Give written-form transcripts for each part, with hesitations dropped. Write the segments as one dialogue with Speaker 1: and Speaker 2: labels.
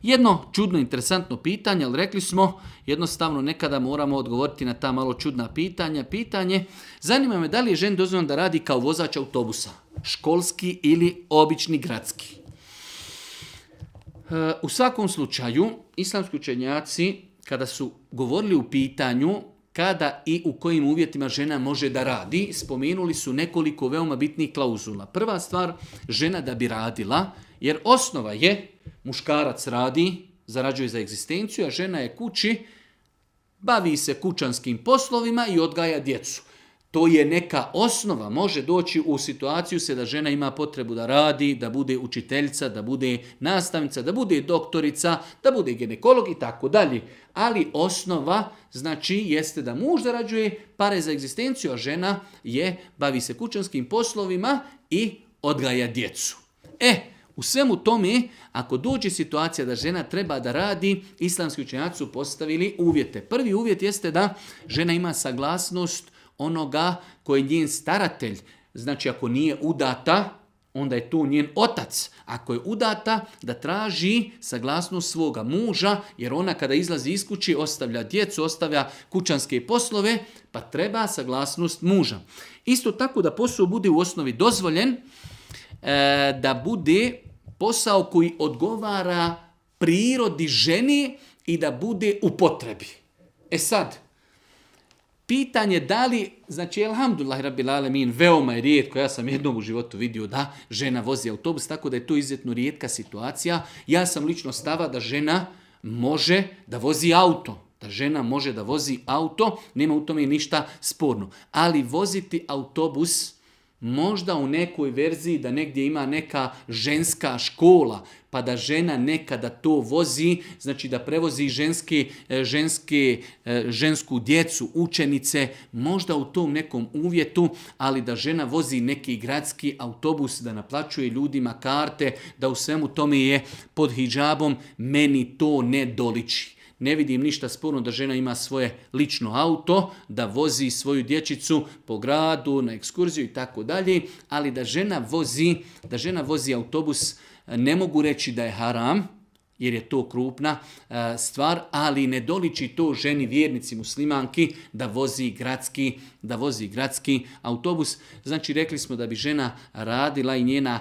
Speaker 1: Jedno čudno, interesantno pitanje, ali rekli smo, jednostavno nekada moramo odgovoriti na ta malo čudna pitanja. Pitanje, zanima me da li je ženi dozvoljeno da radi kao vozač autobusa, školski ili obični gradski. U svakom slučaju, islamski učenjaci, kada su govorili u pitanju kada i u kojim uvjetima žena može da radi, spomenuli su nekoliko veoma bitnih klauzula. Prva stvar, žena da bi radila, jer osnova je muškarac radi, zarađuje za egzistenciju, a žena je kući, bavi se kućanskim poslovima i odgaja djecu. To je neka osnova, može doći u situaciju se da žena ima potrebu da radi, da bude učiteljica, da bude nastavnica, da bude doktorica, da bude ginekolog i tako dalje. Ali osnova znači jeste da muž zarađuje pare za egzistenciju, a žena bavi se kućanskim poslovima i odgaja djecu. U svemu tome, ako dođe situacija da žena treba da radi, islamski učenjaci su postavili uvjete. Prvi uvjet jeste da žena ima saglasnost onoga koji je njen staratelj. Znači, ako nije udata, onda je tu njen otac. Ako je udata, da traži saglasnost svoga muža, jer ona kada izlazi iz kući ostavlja djecu, ostavlja kućanske poslove, pa treba saglasnost muža. Isto tako da posao bude u osnovi dozvoljen, da bude posao koji odgovara prirodi ženi i da bude u potrebi. Sad, pitanje da li, znači, alhamdulillah rabbil alemin, veoma je rijetko, ja sam jednom u životu vidio da žena vozi autobus, tako da je to izuzetno rijetka situacija. Ja sam lično stava da žena može da vozi auto. Da žena može da vozi auto, nema u tome ništa sporno. Ali voziti autobus možda u nekoj verziji da negdje ima neka ženska škola, pa da žena nekada to vozi, znači da prevozi žensku djecu, učenice, možda u tom nekom uvjetu, ali da žena vozi neki gradski autobus, da naplaćuje ljudima karte, da u svemu tome je pod hidžabom, meni to ne doliči. Ne vidim ništa sporno da žena ima svoje lično auto, da vozi svoju dječicu po gradu, na ekskurziju i tako dalje, ali da žena vozi autobus, ne mogu reći da je haram, jer je to krupna stvar, ali ne doliči to ženi vjernici muslimanki da vozi gradski autobus. Znači, rekli smo da bi žena radila i njena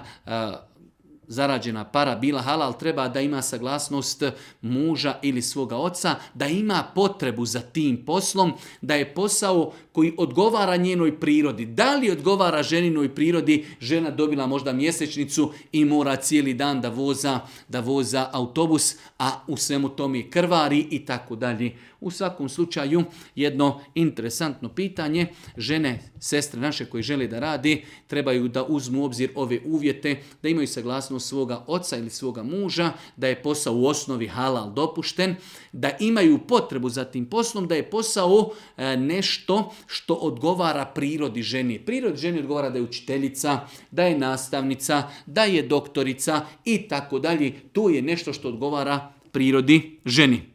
Speaker 1: zarađena para bila halal, treba da ima saglasnost muža ili svoga oca, da ima potrebu za tim poslom, da je posao koji odgovara njenoj prirodi. Da li odgovara ženinoj prirodi, žena dobila možda mjesečnicu i mora cijeli dan da voza autobus, a u svemu tome krvari i tako dalje. U svakom slučaju, jedno interesantno pitanje, žene, sestre naše koji žele da radi, trebaju da uzmu u obzir ove uvjete, da imaju saglasnost svoga oca ili svoga muža, da je posao u osnovi halal dopušten, da imaju potrebu za tim poslom, da je posao nešto što odgovara prirodi ženi. Prirodi ženi odgovara da je učiteljica, da je nastavnica, da je doktorica i tako dalje. To je nešto što odgovara prirodi ženi.